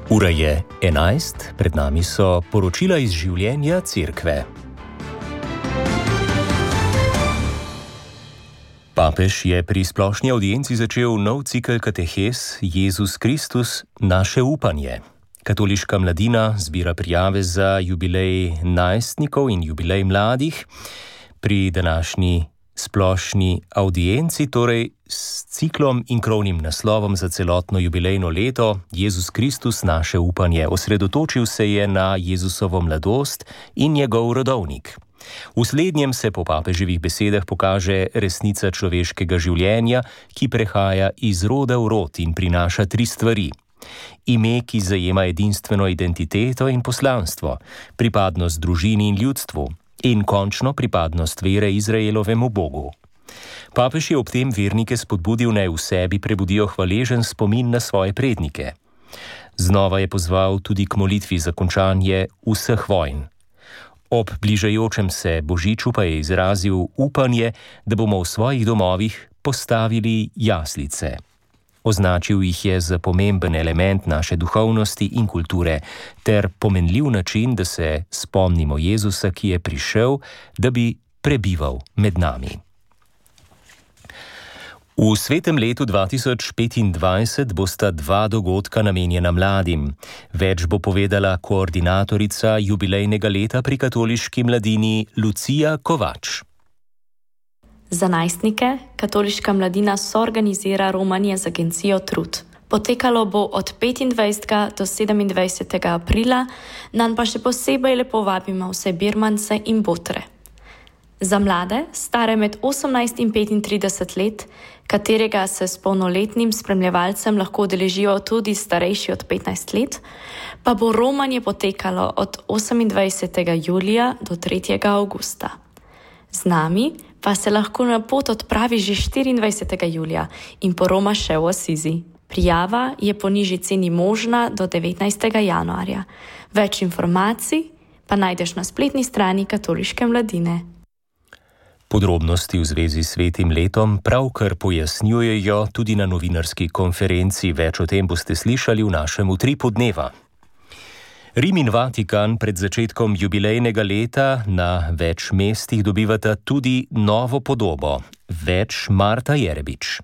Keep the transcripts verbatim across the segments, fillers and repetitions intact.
Ura je enajst, pred nami so poročila iz življenja Cerkve. Papež je pri splošni avdienci začel nov cikel katehes Jezus Kristus, naše upanje. Katoliška mladina zbira prijave za jubilej najstnikov in jubilej mladih. Pri današnji splošni avdienci, torej s ciklom in krovnim naslovom za celotno jubilejno leto Jezus Kristus, naše upanje, osredotočil se je na Jezusovo mladost in njegov rodovnik. V slednjem se po papeževih besedah pokaže resnica človeškega življenja, ki prehaja iz roda v rod in prinaša tri stvari. Ime, ki zajema edinstveno identiteto in poslanstvo, pripadnost družini in ljudstvu in končno pripadnost vere Izraelovemu Bogu. Papež je ob tem vernike spodbudil, naj v sebi prebudijo hvaležen spomin na svoje prednike. Znova je pozval tudi k molitvi za končanje vseh vojn. Ob bližajočem se božiču pa je izrazil upanje, da bomo v svojih domovih postavili jaslice. Označil jih je za pomemben element naše duhovnosti in kulture ter pomenljiv način, da se spomnimo Jezusa, ki je prišel, da bi prebival med nami. V svetem letu dva tisoč petindvajset bosta dva dogodka namenjena mladim. Več bo povedala koordinatorica jubilejnega leta pri katoliški mladini Lucija Kovač. Za najstnike katoliška mladina soorganizira romanje z agencijo Trud. Potekalo bo od petindvajsetega do sedemindvajsetega aprila, nanj pa še posebej lepo vabimo vse birmance in botre. Za mlade, stare med osemnajst in petintrideset let, katerega se s polnoletnim spremljevalcem lahko udeležijo tudi starejši od petnajst let, pa bo romanje potekalo od osemindvajsetega julija do tretjega avgusta. Z nami pa se lahko na pot odpravi že štiriindvajsetega julija in poroma še v Asizi. Prijava je po nižji ceni možna do devetnajstega januarja. Več informacij pa najdeš na spletni strani katoliške mladine. Podrobnosti v zvezi s svetim letom pravkar pojasnjujejo tudi na novinarski konferenci. Več o tem boste slišali v našem utripu dneva. Rim in Vatikan pred začetkom jubilejnega leta na več mestih dobivata tudi novo podobo. Več Marta Jerebič.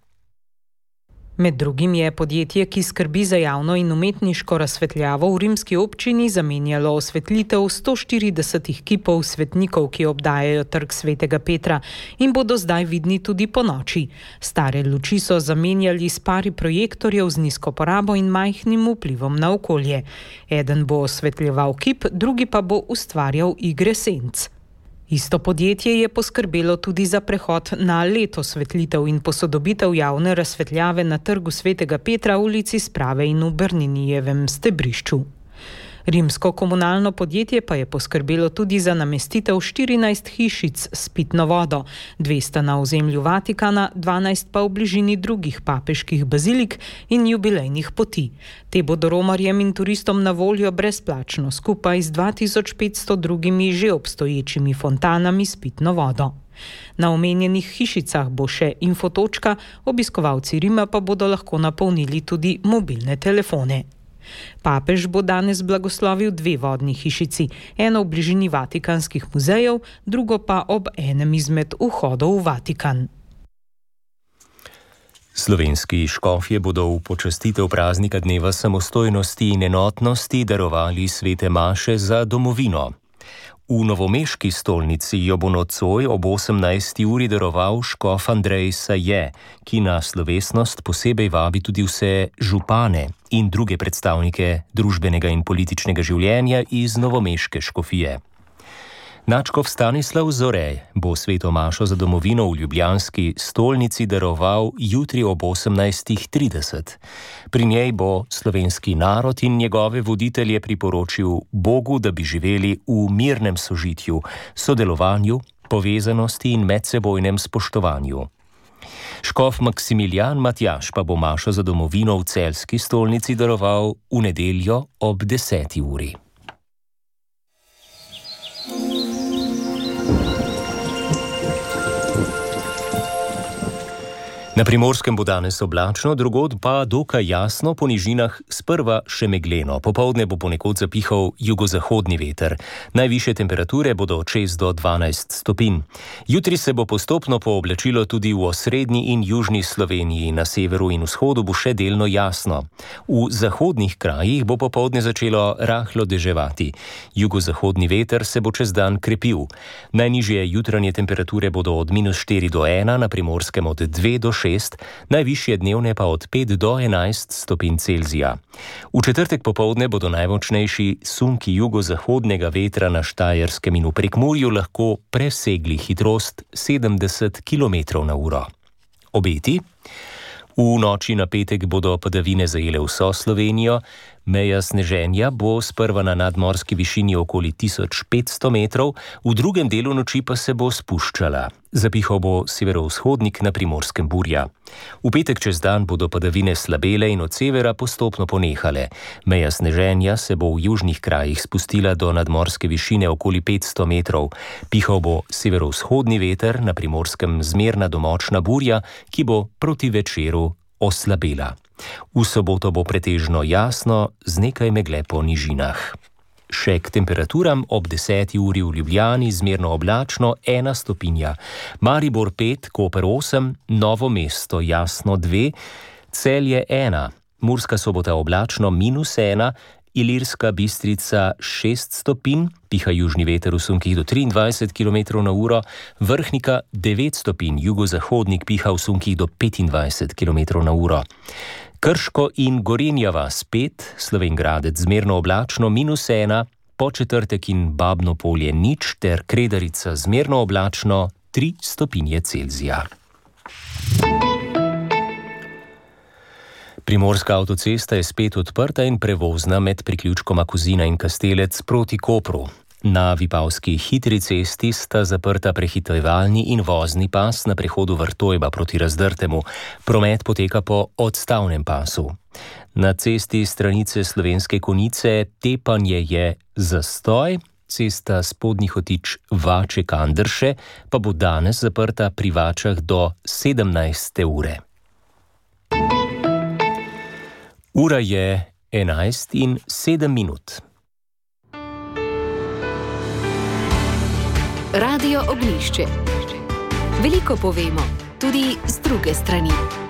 Med drugim je podjetje, ki skrbi za javno in umetniško razsvetljavo v rimski občini, zamenjalo osvetlitev sto štiridesetih kipov svetnikov, ki obdajajo trg Svetega Petra in bodo zdaj vidni tudi ponoči. Stare luči so zamenjali s pari projektorjev z nizko porabo in majhnim vplivom na okolje. Eden bo osvetljeval kip, drugi pa bo ustvarjal igre senc. Isto podjetje je poskrbelo tudi za prehod na leto osvetlitev in posodobitev javne razsvetljave na trgu Svetega Petra, ulici Sprave in v Berninijevem stebrišču. Rimsko komunalno podjetje pa je poskrbelo tudi za namestitev štirinajst hišic s pitno vodo, dve sta na ozemlju Vatikana, dvanajst pa v bližini drugih papeških bazilik in jubilejnih poti. Te bodo romarjem in turistom na voljo brezplačno, skupaj z dva tisoč petsto drugimi že obstoječimi fontanami s pitno vodo. Na omenjenih hišicah bo še infotočka, obiskovalci Rima pa bodo lahko napolnili tudi mobilne telefone. Papež bo danes blagoslovil dve vodni hišici, eno v bližini vatikanskih muzejev, drugo pa ob enem izmed vhodov v Vatikan. Slovenski škofje bodo v počastitev praznika dneva samostojnosti in enotnosti darovali svete maše za domovino. V novomeški stolnici jo bo nocoj ob osemnajsti uri daroval škof Andrej Saje, ki na slovesnost posebej vabi tudi vse župane in druge predstavnike družbenega in političnega življenja iz novomeške škofije. Nadškof Stanislav Zore bo sveto mašo za domovino v ljubljanski stolnici daroval jutri ob osemnajstih trideset. Pri njej bo slovenski narod in njegove voditelje priporočil Bogu, da bi živeli v mirnem sožitju, sodelovanju, povezanosti in medsebojnem spoštovanju. Škof Maksimilijan Matjaž pa bo mašo za domovino v celjski stolnici daroval v nedeljo ob deseti uri. Na Primorskem bo danes oblačno, drugod pa dokaj jasno, po nižinah sprva še megleno. Popoldne bo ponekod zapihal jugozahodni veter. Najvišje temperature bodo od šest do dvanajst stopinj. Jutri se bo postopno pooblačilo tudi v osrednji in južni Sloveniji. Na severu in vzhodu bo še delno jasno. V zahodnih krajih bo popoldne začelo rahlo deževati. Jugozahodni veter se bo čez dan krepil. Najnižje jutranje temperature bodo od minus štiri do ena, na Primorskem od dve do šest, najvišje dnevne pa od pet do enajst stopinj Celzija. V četrtek popoldne bodo najmočnejši sunki jugozahodnega vetra na Štajerskem in v Prekmurju lahko presegli hitrost sedemdeset kilometrov na uro. Obeti? V noči na petek bodo padavine zajele vso Slovenijo. Meja sneženja bo sprva na nadmorski višini okoli tisoč petsto metrov, v drugem delu noči pa se bo spuščala. Zapihal bo severovzhodnik, na Primorskem burja. V petek čez dan bodo padavine slabele in od severa postopno ponehale. Meja sneženja se bo v južnih krajih spustila do nadmorske višine okoli petsto metrov. Pihal bo severovzhodni veter, na Primorskem zmerna do močna burja, ki bo proti večeru oslabela. V soboto bo pretežno jasno z nekaj megle po nižinah. Še k temperaturam: ob deseti uri v Ljubljani zmerno oblačno ena stopinja, Maribor pet, Koper osem, Novo mesto jasno dve, Celje ena, Murska Sobota oblačno minus ena, Ilirska Bistrica šest stopinj, piha južni veter v sunkih do triindvajset kilometrov na uro, Vrhnika devet stopinj, jugozahodnik piha v sunkih do petindvajset kilometrov na uro. Krško in Gorenja vas pet, Slovenj Gradec zmerno oblačno minus ena, Podčetrtek in Babno Polje nič ter Kredarica zmerno oblačno tri stopinje Celzija. Primorska avtocesta je spet odprta in prevozna med priključkoma Kozina in Kastelec proti Kopru. Na Vipavski hitri cesti sta zaprta prehitevalni in vozni pas na prehodu Vrtojba proti Razdrtemu. Promet poteka po odstavnem pasu. Na cesti stranice Slovenske Konjice Tepanje je zastoj, cesta Spodnji Hotič Vače-Kandrše pa bo danes zaprta pri Vačah do sedemnajste ure. Ura je enajst in sedem minut. Radio Oglišče. Veliko povemo, tudi z druge strani.